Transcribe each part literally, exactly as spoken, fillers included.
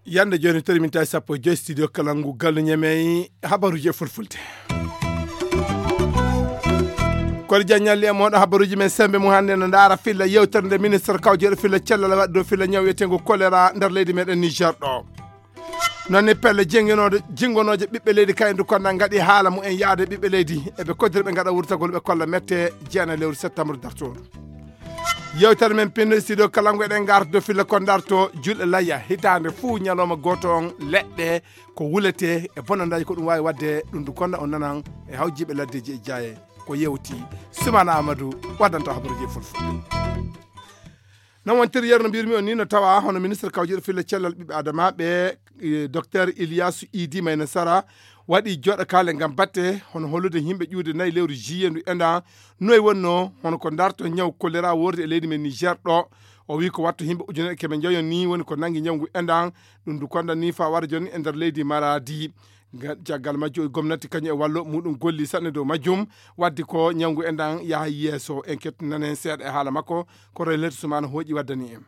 Yande joni tori min tawi sappo e joyi studio kalangu gallu ñamey habaruji e fulfulde. Kono jaññalli e moɗo habaruji men sembe mum hannde no ndaara filla yewtere nde ministre kawjeeɗo filla cellal waɗi dow filla ñaw wiyetengo choléra nder leydi meɗen Niger ɗo. Noon ni pelle jingonooje ɓiɓɓe leydi kaydu konda ngaɗi haala mum en yaade ɓiɓɓe leydi eɓe koddiri ɓe ngaɗa wurtagol ɓe kolla mette jeena lewru septembre dartoru. Yewtere men pinno studio kalangu eɗen ngarta dow filla ko darto julɗe layya hitaande fuu ñalawma gooto on leɗɗe ko wulete e bonandaji ko ɗum wawi wadde ɗum du konda on nanan e hawjiɓe laddeji e jaaye ko yewti. Sumana Amadou waddanta habaruji e fulfulde. Non wontiri yeru no mbirmi on ni no tawa hono ministre kawjiɗo filla cellal ɓiɓɓe adamaɓe docteur Iliyasu Idi Mayna Sara waɗi joɗa kale ngam batte hono hollude yimɓe ƴuude nayi lewru juillet ndu enda noy wonno hono ko darto ñaw kolera worde e leydi men Niger ɗo. O wi ko watto yimɓe ujunere keme njayon ni woni ko nangi ñawngu endan. Ɗum du konda ni fa wara joni e nder leydi Maradi. Caggal majjum gomnati kañum e wallo muɗum golli sanne dow majjum waddi ko ñawngu endan yaha yeeso. En kettu nanen seeɗa e haala makko ko relete sumana hooƴi waddani en.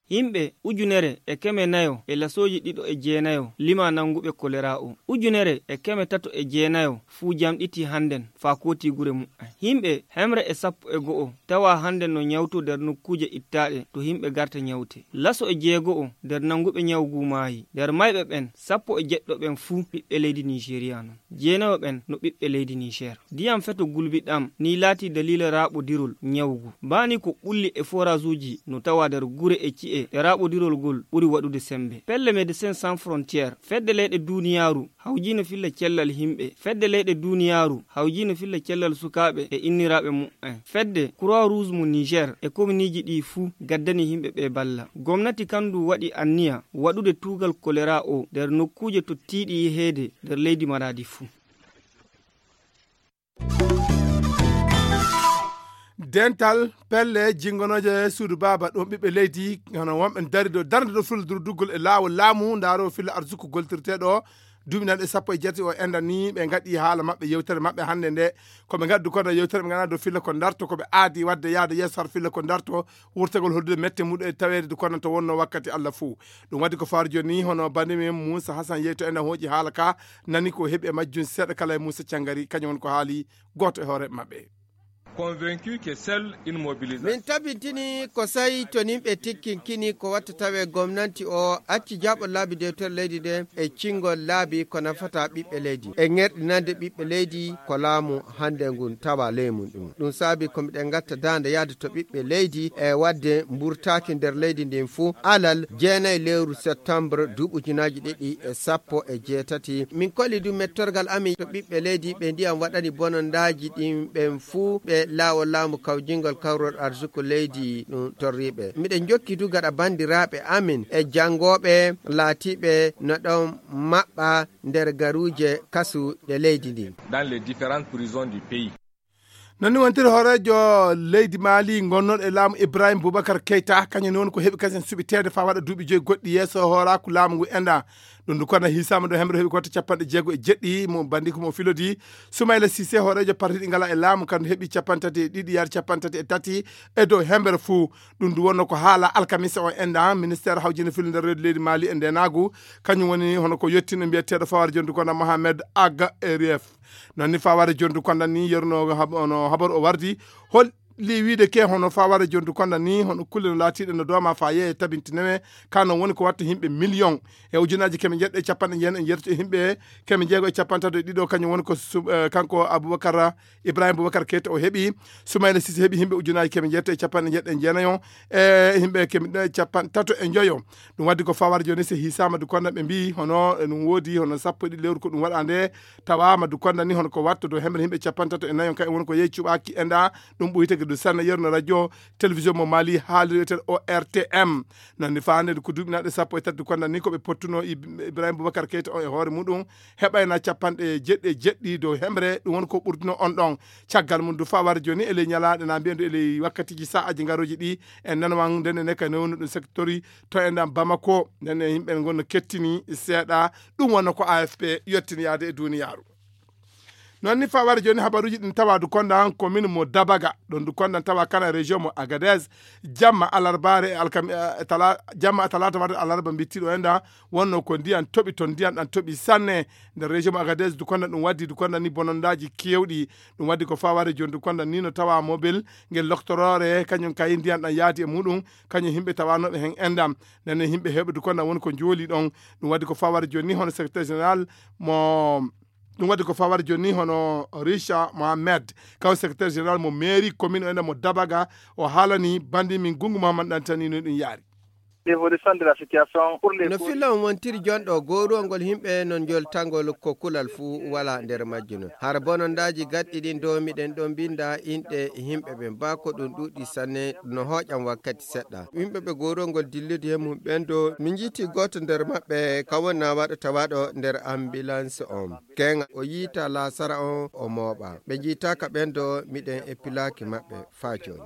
Yimɓe ujunere e keme nayo e lasooji ɗiɗo e jeenayo lima nannguɓe kolera o. Ujunere e keme tato e jeenayo fuu jamɗitii hannden faa kootii gure muɓɓen. Yimɓe hemre e sappo e go'o tawaa hannden no ñawtoo nder nokkuuje ittaaɗe to yimɓe garta ñawtee. Laso e jeego'o nder nannguɓe ñaw guu maayii. Nder mayɓe ɓen, sappo e jeɗɗo ɓen fuu ɓiɓɓe leydi Niijeriya non. Jeenayo ɓen no ɓiɓɓe leydi Niijer. Ndiyam feto gulbi ɗam nii laatii daliila raaɓodirol ñaw guu. Baa nii ko ɓulli e foraazuuji no tawaa nder gure e ci'e ɗe raaɓodirol ngol ɓuri waɗude semmbe. Pelle Médecins Sans Frontières, fedde leyɗe duuniyaaru, hawjiino filla cellal yimɓe. Fedde leyɗe duuniyaaru, hawjiino filla cellal sukaaɓe e inniraaɓe muɓɓen. Fedde Croix Rouge mo Niijer e kominiiji ɗii fuu gaddanii yimɓe ɓee balla. Gomnati kan du waɗi anniya waɗude tuugal kolera oo nder nokkuuje tottiiɗe yeheede nder leydi Maraadi fuu. Dental pelle jingonooje suudu baaba ɗum ɓiɓɓe leydi hono wonɓe dari ɗo darnde ɗo filla durduggol e laawol laamu ndaaro filla arsuku goltirteeɗo duuɓi nanɗe sappo e jeetati o enɗan ni ɓe ngaɗi haala maɓɓe yewtere maɓɓe hannde nde. Ko ɓe ngaddu kono yewtere ɓe ngana dow filla ko darto ko ɓe aadi wadde yaade yeeso har filla ko darto wurtagol hollude mette muɗum e taweede du kono to wonno wakkati Allah fuu. Ɗum waɗi ko faar joni hono bande men Moussa Hassan yeyto en hooƴi haala ka nani ko heɓi e majjum seeɗa kala e Moussa Cangari kañum woni ko haali gooto e hoore maɓɓe. Min tabintini ko sayi to nimɓe tikkinkini ko watta tawe gomnanti o acci jaɓo laabi dewtere leydi nde e cingol laabi ko nafata ɓiɓɓe leydi e ŋerɗinande ɓiɓɓe leydi ko laamu hannde ngun tawa ley mum ɗum. Ɗum saabi ko miɗen ngatta daande yahde to ɓiɓɓe leydi e waɗde mburtaaki nder leydi ndin fuu alal jeenayi lewru septembre duuɓi ujunaaji ɗiɗi e sappo e jeetati. Min kolli du mettorgal amin to ɓiɓɓe leydi ɓe ndiyam waɗani bonondaaji ɗin ɓen fuu ɓe laawol laamu kawjingol kawrol arsuku leydi ɗum torriiɓe. Miɗen jokki du gaɗa banndiraaɓe amin e janngooɓe laatiiɓe no ɗon maɓɓa nder garuuje kasu ɗe leydi ndin. Non ni wontiri hooreejo leydi Maali gonnoɗo e laamu Ibrahim Boubacar Keita kañum ni woni ko heɓi kasen suɓiteede faa waɗa duuɓi joyi goɗɗi yeeso hooraaku laamu ngu enɗan. Ɗum du kono hisaama ɗo hemre heɓi kotte capanɗe jeego e jeɗɗi mo bandi ko mo filodi. Soumaïla Cissé hooreejo parti ɗi ngala e laamu kandu heɓi capanɗe tati e ɗiɗi yaade capanɗe tati e tati e dow hemre fuu. Ɗum du wonno ko haala alkamisa o enɗan ministère hawjinde filde nder reedu leydi Maali e ndenaagu. Kañum woni hono ko yettino mbiyeteeɗo fawar jondu kono Mohamed Aga Erief. Non ni faware jondu konda ni yerno hab- ono habaru o wardi holli wiide ke hono faware jondu konda ni hono kulle no laatiɗe no dooma fa yeeye tabintinowe ka non woni ko watta yimɓe million e ujunaji keme jeeɗiɗo e capanɗe jeenayi en yerti e yimɓe keme jeego e capantato e ɗiɗo kañum woni ko su- eh, kanko Aboubacar Ibrahim Boubacar Keita o heɓi. Soumaïla Cissé heɓi yimɓe ujunaji keme jeeɗiɗo e capanɗe jeeɗiɗo e jeenayo e yimɓe keme ɗiɗo e capantato e joyo. Ɗum waddi ko fawar joni si hisama du konda ɓe mbi hono ɗum woodi hono sappo e ɗiɗi lewru ko ɗum waɗa nde tawama du konda ni hono ko watto dow hemre yimɓe capantato e nayo kay woni ko yehi cuɓaki enɗa. Ɗum ɓoyi tagi Ɗum sanna yerno radio télévision mo Mali haaliri wiyetee O R T M. Noon ni faande ko duuɓi naɗe sappo e tati konda ni ko ɓe pottuno Ib- Ibrahima Boubacar Keita on e hoore muɗum heɓayna capanɗe jeɗɗi e jeɗɗi dow hemre ɗum woni ko ɓurduno on ɗon. Caggal mum du fawar joni e ley ñalaaɗe na mbiyen du e ley wakkatiji sa'aji ngaroji ɗi en nanawan nden ene kay newno ɗum sectori to enɗan Bamako nden e yimɓe ngon no kettini seeɗa. Ɗum wonno ko A F P yettini yaade e duniyaaru. Noon ni fawar joni habaruji ɗin tawa du konda commune mo Dabaga ɗon du konda tawa kana région mo Agadez. Jamma alarbaare e alkam e tala jamma talata warde alarba bittiɗo enɗan wonno ko ndiyan toɓi ton ndiyan ɗan toɓi sanne. Nder région mo Agadez du konda ɗum waddi du konda ni bonondaji kewɗi. Ɗum waddi ko faware joni du konda ni no tawa mobile ngel loktoroore kañum kay ndiyan ɗan yaadi e muɗum. Kañum yimɓe tawanoɓe hen enɗan nden yimɓe heɓe du konda woni ko jooli ɗon. Ɗum waddi ko faware joni ni hono secrétaire général mo ɗum wadde ko fawar joni hono Richa Mohamed kaw secrétaire général mo mairie commune o ene mo Dabaga. O haalani bandi min gungu Mohamed ɗantani no ɗum yaari. No filla on wontiri jonɗo gowruwol ngol yimɓe non joltangol ko kulal fuu wala nder majjuno. Hara bonondaji gaɗɗi ɗin dow miɗen ɗon binda inɗe yimɓe ɓen ba ko ɗum ɗuɗi sanne no hoƴan wakkati seɗɗa. Yimɓe ɓe gowruwol ngol dillude he mum ɓen do min jiiti goto nder maɓɓe ka wonna waɗo tawaɗo nder ambulance on. Keŋa o yiita laasara on o mooɓa. Ɓe njiitaaka ɓen do miɗen e pilaaki maɓɓe faa jooni.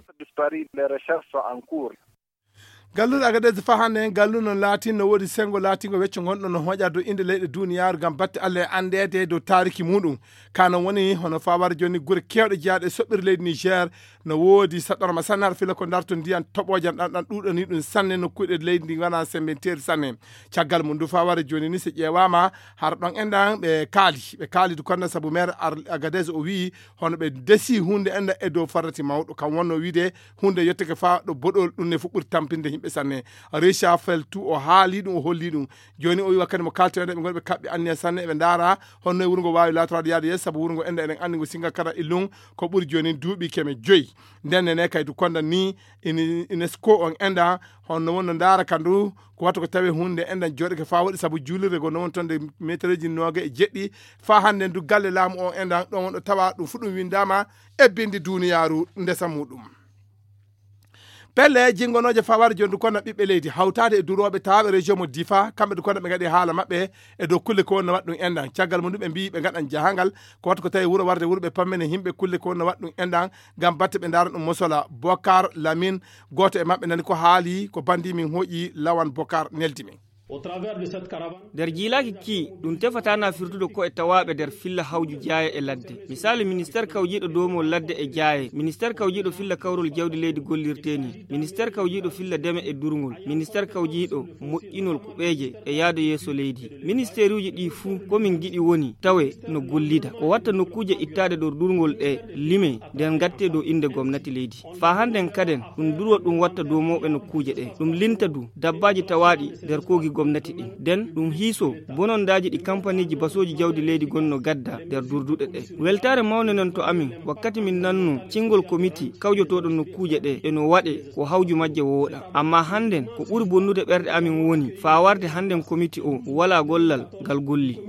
Galluɗo Agadez faa hannde en gallu noon laatin no woodi senngo laatingo wecco ngonɗo no hoƴa dow innde leyɗe duuniyaaru ngam batte Allah e anndeede dow taariki muɗum. Ka noon woni hono faa wara jooni gure keewɗe jeyaaɗe e soɓɓiire leydi Niger no woodi saɗɗorma sanne har fila ko darto ndiyan toɓoojan ɗan ɗan ɗuuɗani ɗum sanne nokkuuɗe leydi ndi nganaa semmbenteeri sanne. Caggal mum du faa wara jooni ni so ƴeewaama hara ɗon enɗan ɓe kaali ɓe kaali du konda sabu maire Agadez o wii hono ɓe ndesi huunde enɗan e dow farrati mawɗo kam wonno wiide huunde yetteke faa ɗo boɗol ɗum ne fof ɓuri tampinde yimɓe sanne. Recha feltu o haali ɗum o holli ɗum. Jooni o wii wakkati mo kaalten enɗan ɓe ngoni ɓe kaɓɓi anniya sanne eɓe ndaara honno e wuro ngo waawi laatoraade yaade yeeso sabu wuro ngo enɗan eɗen anndi ngo singa kara illum ko ɓuri jooni duuɓi keme joyi. Nden nene kay du konda ni unesco on enɗan honno wonno ndaara ka ndu ko wattu ko tawi huunde enɗan jooɗake faa waɗi sabu juulirde ngo no woni toon nde metereeji nooga e jeɗɗi. Faa hannde ndu galle laamu on enɗan ɗon wonɗo tawa ɗum fu ɗum winndaama e binndi duuniyaaru ndesa muɗum. Pelle jinngonooje faa wara jooni du konda ɓiɓɓe leydi hawtaade e durooɓe tawaaɓe région mo Difa kamɓe du konda ɓe ngaɗi haala maɓɓe e dow kulle ko wonno waɗ ɗum enɗan caggal mum du ɓe mbii ɓe ngaɗan jahangal ko wattu ko tawi wuro warde wuro ɓe pammene yimɓe kulle ko wonno waɗ ɗum enɗan ngam batte ɓe ndaara ɗum mosola. Bokar Lamin gooto e maɓɓe nani ko haali ko bandi min hoƴi lawan Bokar neldi min. Nder jiilaaki kii ɗum tefataa na firtude ko e tawaaɓe nder filla hawju jaaye e ladde. Misaali ministeer kawjiiɗo doomol ladde e jaaye, ministeer kawjiiɗo filla kawrol jawdi leydi gollirtee nii, ministeer kawjiiɗo filla deme e durngol, ministeer kawjiiɗo moƴƴinol kuɓeeje e yaade yeeso leydi. Ministeeruuji ɗii fuu ko min ngiɗi woni tawe no gollida. Ko watta nokkuuje ittaade dow durngol ɗe limee nden ngattee dow innde gomnati leydi. Faa hannden kaden ɗum durwa ɗum watta doomooɓe nokkuuje ɗe. Ɗum linta du dabbaaji tawaaɗi nder koogi gomnati ɗin. Nden ɗum hiisoo bonondaaji ɗi kampaniiji basooji jawdi leydi gonno gadda nder durduɗe ɗe. Weltaare mawnde non to amin wakkati min nannoo cinngol komiti kawjotooɗo nokkuuje ɗe e no waɗee ko hawju majje wooɗa. Ammaa hannden ko ɓuri bonnude ɓerɗe amin woni faa warde hannden komiti oo walaa gollal ngal golli.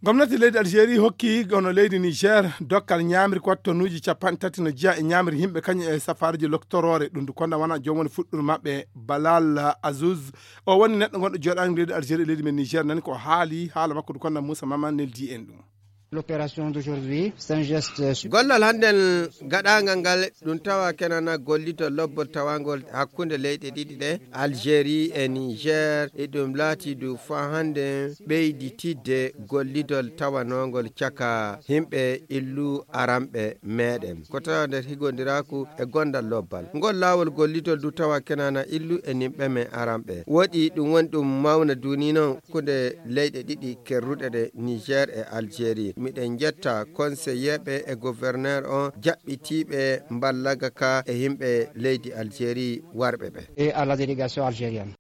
Gomnati leydi Algérie hokki hono leydi Niger dokkal ñaamri ko watta tonnuuji capanɗe tati no jeyaa e ñaamri yimɓe kañum e safaariiji loktoroore ɗum du konda wona joom woni fuɗɗude maɓɓe Balal Azouz. O woni neɗɗo gonɗo jooɗaani leydi Algérie e leydi men Niger nani ko haali haala makko du konda Moussa Mama neldi en ɗum. L'opération d'aujourd'hui c'est un geste. Gollal hannden gaɗaangal ngal ɗum tawa kenana gollito lobbol tawangol hakkunde leyɗe ɗiɗi ɗe Algérie e Niger e ɗum laati du faa hannden ɓeyditidde gollidol tawanongol caka yimɓe illu aranɓe meɗen ko tawa nder higondiraaku e gondal lobbal ngol laawol gollidol du tawa kenana illu e nimɓe men aranɓe woɗi ɗum woni ɗum mawna duni non hakkunde leyɗe ɗiɗi kerruɗe ɗe Niger e Algérie miɗen njetta konseyeeɓe e gouverneur on jaɓɓitiiɓe mballaga ka e yimɓe leydi Algérie warɓe ɓe. Et à la délégation algérienne.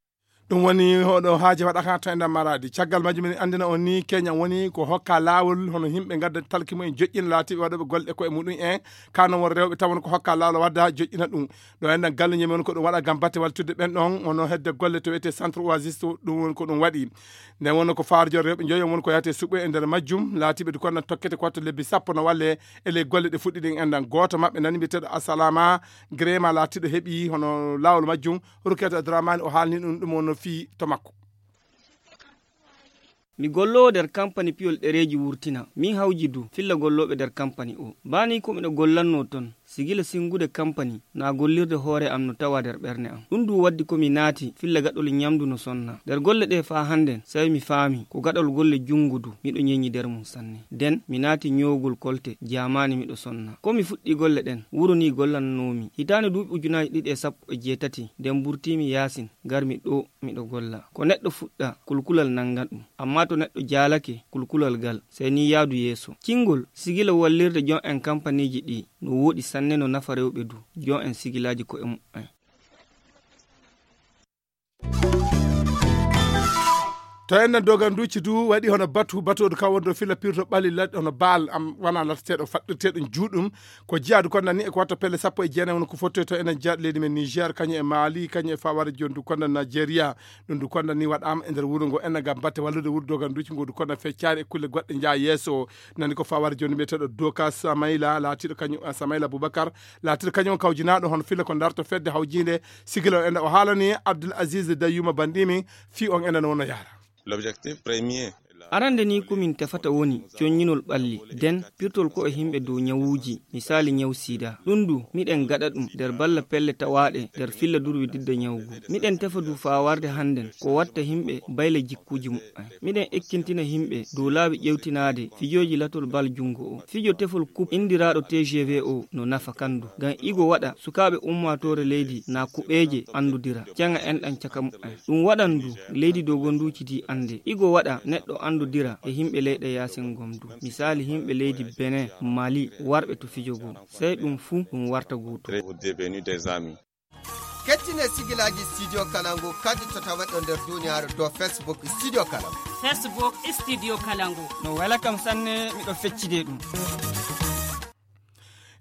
Ɗum woni hoɗo haaje waɗaka to enɗan maraadi. Caggal majjum, min anndina on ni, Kenya woni ko hokka laawol hono yimɓe ngadda talki mumen joƴƴina laatiiɓe waɗooɓe golle koye muɗum en. Kano won rewɓe taw won ko hokka laawol wadda joƴƴina ɗum. Ɗo enɗan galluñe men ko ɗum waɗa ngam batte waltude ɓen ɗon, hono hedde golle to wiyetee Centre Oasis, to ɗum woni ko ɗum waɗi. Nden wonno ko faarjo rewɓe njoyo won ko yahate suɓo e nder majjum. Laatiiɓe du konnan tokkete ko wattu lebbi sappo no walle e ley golle ɗe fuɗɗi ɗin enɗan. Gooto maɓɓe nani mbiyeteeɗo Asalama Grema laatiiɗo heɓi hono laawol majjum. Rukiyatu Adramani o haalni ɗum, ɗum wonno fii to makko. Mi golloowo nder kampani piyol ɗereeji wurtina. Min hawji du filla gollooɓe nder kampani o. Baa nii ko miɗo gollannoo ton, sigila singude kampani naa gollirde hoore am no tawa nder ɓernde am. Ɗum du waddi ko mi naati filla gaɗol ñamdu no sonna. Nder golle ɗee faa hannden, sey mi faami ko gaɗol golle junngo du miɗo ñeñi nder mum sanne. Nden mi naati ñoowgol kolte, jaamaani miɗo sonna. Ko mi fuɗɗii golle ɗen, wuro nii gollannoomi. Hitaande duuɓi ujunaaji ɗiɗi e sappo e jeetati, nden burtiimi yaasin, ngarmi ɗoo miɗo golla. Ko neɗɗo fuɗɗa, kulkulal nanngan ɗum. Ammaa to neɗɗo jaalake kulkulal gal, sey nii yaadu yeeso. Cingol, sigila wallirde jom en kampaniiji ɗii no wooɗi sanne, no nafa rewɓe du. Jom en sigilaaji ko'e mumen. To enɗan doganduuji du waɗi hono batu, batu o du ka wonɗo fila pirto ɓali laɗɗe hono baal am wana latteteeɗo faɗɗirteeɗo juuɗum. Ko jiyaadu konnan ni e ko watta pelle sappo e jeenayi woni ko fottoy to enen jeyaaɗo leydi men Niger, kañum e Mali, kañum e fawaade jooni du konnan Nigeria. Ɗum du konnan ni waɗaama e nder wuro ngo enɗan ngam batte wallude wuro doganduuji ngo du konnan feccaari e kulle goɗɗe njaha yeeso. Nani ko fawaade jooni mbiyeteeɗo Doka Samayla, laatiiɗo kañum, ah, Samayla Boubacar, laatiiɗo kañum on kawjinaaɗo hono filla ko darto fedde hawjiinde sigila o enɗan. O haalani Abdul Aziz Dayuma Bandiimi fii on enɗan wonno yahra. L'objectif premier. Arande ni ko min tefata woni coññinol ɓalli, den pirtol ko e yimɓe dow ñawuuji, misaali ñaw sida. Ɗum du, miɗen gaɗa ɗum nder balla pelle tawaaɗe nder filla durwi didda ñawgu. Miɗen tefa du faa warde hannden ko watta yimɓe bayla jikkuuji muɓɓen. Miɗen ekkintina yimɓe dow laabi ƴewtinaade fijooji latol bal junngo o. Fijo tefol kup inndiraaɗo T G V o no nafa kandu, ngam igo waɗa sukaaɓe ummaatoore leydi naa kuɓeeje anndodira, caŋa enɗan caka muɓɓen. Ɗum waɗan du leydi dogonduuji di annde. Igo waɗa neɗɗo anndodira e yimɓe leyɗe yaasin gom du. Misaali yimɓe leydi Benin, Mali, warɓe to fijo goo. Sey ɗum fuu ɗum warta gooto. Kettine sigilaaji Studio Kalangu kadi to taweɗo nder duniyaaru dow Facebook Studio Kalangu. Facebook Studio Kalangu. No wela kam sanne, miɗo feccide ɗum.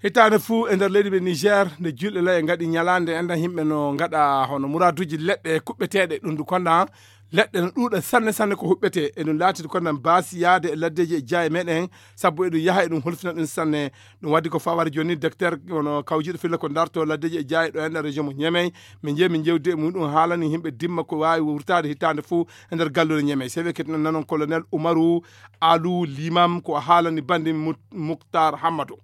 Hitaande fuu e nder leydi men Niger, nde julɓe laye ngaɗi ñalaande enɗan, yimɓe no ngaɗa hono muraaduuji leɗɗe kuɓɓeteeɗe, ɗum du konnan leɗɗe no ɗuuɗa sanne sanne ko huɓɓetee. E ɗum laatidi konnan baasi yaade e laddeeji e jaaye meɗen, sabu eɗum yaha eɗum holfina ɗum sanne. Ɗum waddi ko fawaade jooni docteur hono kawjiiɗo filla ko darto laddeeji e jaaye ɗo enɗan région mo Niamey. Min njehi min jewdi e muɗum, haalani yimɓe dimma ko waawi wurtaade hitaande fuu e nder galluure Niamey. Sey ɓe kettinan nanon colonel Umaru Alu Limam ko haalani bandi Muk-, Muktar Hammado.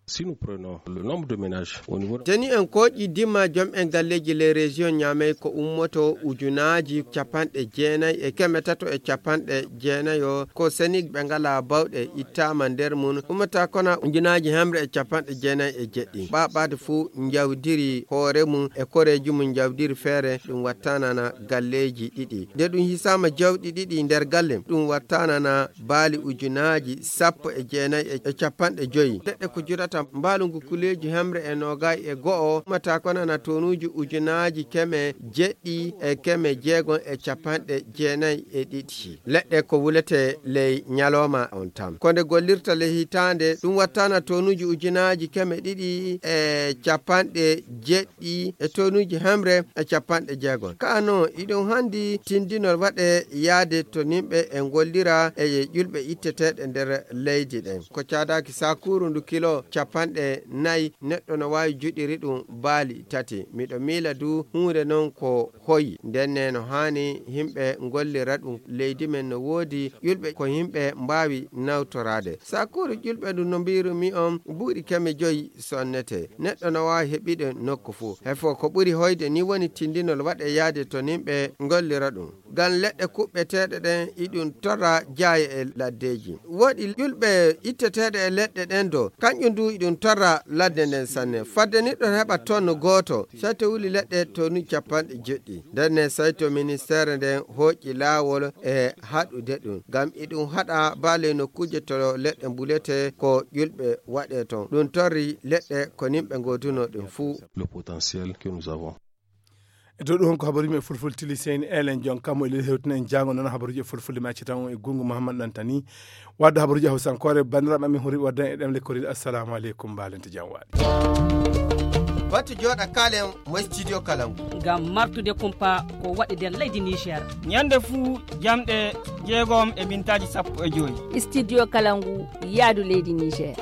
Si nous prenons le nombre de ménages au niveau de Jeni en kooƴi dimma jom en galleeji les régions Niamey ko ummoto ujunaaji capanɗe jeenayi e keme tato e capanɗe jeenayo ko seni ɓe ngalaa bawɗe ittaama nder mum, ummata kona ujunaaji hemre e capanɗe jeenayi e jeɗɗi. Ɓaɓaade fuu njawdiri hoore mum e koreeji mum njawdiri feere ɗum wattanana galleeji ɗiɗi. Nde ɗum hisaama jawɗi ɗiɗi nder galle, ɗum wattanana baali ujunaaji sappo e jeenayi e capanɗe joyi. Leɗɗe ko jurata mbaalu ngu kuleeji hemre e noogayi e go'o, ummata konana tonuuji ujunaaji keme jeɗɗi e keme jeegon e capanɗe jeenayi e ɗiɗi. Leɗɗe ko wulete ley ñalooma on tan. Ko nde gollirta ley hitaande, ɗum wattana tonuuji ujunaaji keme ɗiɗi e capanɗe jeɗɗi e tonuuji hemre e capanɗe jeegon. Kaa non, iɗum handi tindinol waɗe yaade to nimɓe e ngollira e ƴulɓe itteteeɗe nder leydi ɗen. Ko caadaaki sakuuru ndu kilo capanɗe nayi, neɗɗo no waawi juɗiri ɗum baali tati. Miɗo miila du huunde non ko hoyi. Ndenne no haani yimɓe ngollira ɗum. Leydi men no woodi ƴulɓe ko yimɓe mbaawi nawtoraade. Sakuuru ƴulɓe ndu no mbiirumi on buuɗi keme joyi sonnete. Neɗɗo no waawi heɓiɗe nokku fuu. Hefo ko ɓuri hoyde ni woni tindinol waɗe yaade to nimɓe ngollira ɗum. Ngam leɗɗe kuɓɓeteeɗe ɗen iɗum torra jaaye e laddeeji. Woodi ƴulɓe itteteeɗe e leɗɗe ɗen do, kanƴum du iɗum torra ladde nden sanne. Fadde niɗɗo heɓa tonne gooto, sey to wuli leɗɗe tonu capanɗe jeɗɗi. Ndenne sey to ministeere nden hooƴi laawol e haɗude ɗum. Ngam iɗum haɗa baale nokkuuje to leɗɗe mbulete ko ƴulɓe waɗe ton. Ɗum torri leɗɗe ko nimɓe ngoodunoo ɗum fuu. Le potentiel que nous avons. E dow ɗum ko habaruuji men fulfulde tili seyni elen jon kammo e leydi hewtino en jaango noon habaruuji e fulfulde mi acci tan e gungu Mouhammad Dantani. Wadde habaruuji hawsankoore banndiraaɓe amin hori waddan e ɗemle koride. Assalamu aleykum, mbaalente jam waali. Batu jooɗa kaalen mo studio Kalangu. Ngam martude kumpa ko waɗi nder leydi Niger. Ñande fuu jamɗe jeegom e mintaaji sappo e joy. Studio Kalangu yaadu leydi Niger.